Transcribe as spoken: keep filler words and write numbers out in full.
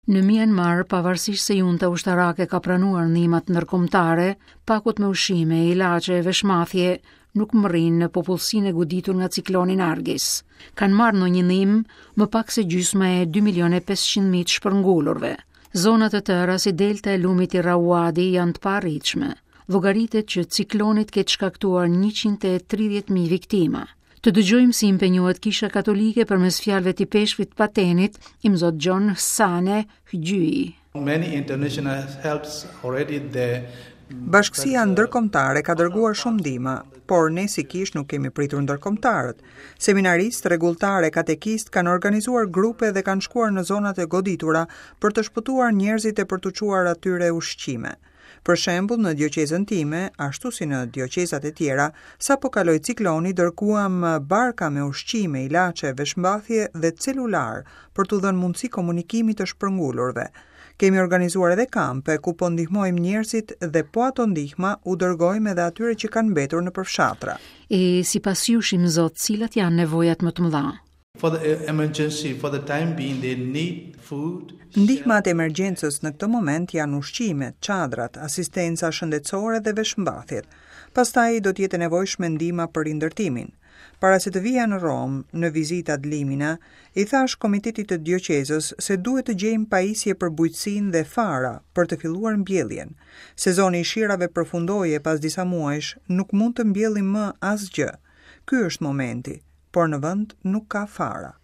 Në Myanmar, pavarësisht se junta ushtarake ka pranuar ndihmat ndërkombëtare, pakot me ushqime, ilaçe e veshmbathje nuk mbërrijnë në popullsinë e goditur nga cikloni Nargis. Kanë marrë ndonjë ndihmë më pak se gjysma e dy milionë e pesëqind mijë të shpërngulurve. Zona të tëra si delta e lumit Irrawaddy janë të paarritshme. Llogaritet që cikloni të ketë shkaktuar njëqind e tridhjetë mijë viktima. Të dëgjojmë si impenjohet Kisha Katolike përmes fjalëve të ipeshkvit Patenit, Imzot John Sane Hgjyi. Many international helps already the Bashkësia ndërkombëtare ka dërguar shumë ndihma, por ne si kish nuk kemi pritur ndërkombëtarët. Seminaristë, rregulltarë e katekistë kanë organizuar grupe dhe kanë shkuar në zonat e goditura për të shpëtuar njerëzit e për t'u çuar atyre ushqime. Për shembull, në dioqezën time, ashtu si në dioqezat e tjera, sapo kaloi cikloni, dërguam barka me ushqime, ilaçe, veshmbathje dhe celular për t'u dhënë mundësi komunikimi të shpërngulurve. Kemi organizuar edhe kampe ku po ndihmojmë njerëzit dhe po ato ndihma u dërgojmë edhe atyre që kanë mbetur në përfshatra. E sipas jush, Imzot, cilat janë nevojat më të mëdha? For the emergency, for the time being, they need food. Ndihmat e emergjencës në këtë moment janë ushqimet, çadrat, asistenca shëndetësore dhe veshmbathjet. Pastaj do të jetë e nevojshme ndihma për rindërtimin. Para se të vija në Romë, në vizitë ad limina, i thash komitetit të dioqezës se duhet të gjejmë pajisje për bujqësinë dhe fara për të filluar mbjelljen. Sezoni i shirave përfundoi e pas disa muajsh nuk mund të mbjellim më asgjë. Ky është momenti, por në vend nuk ka fara.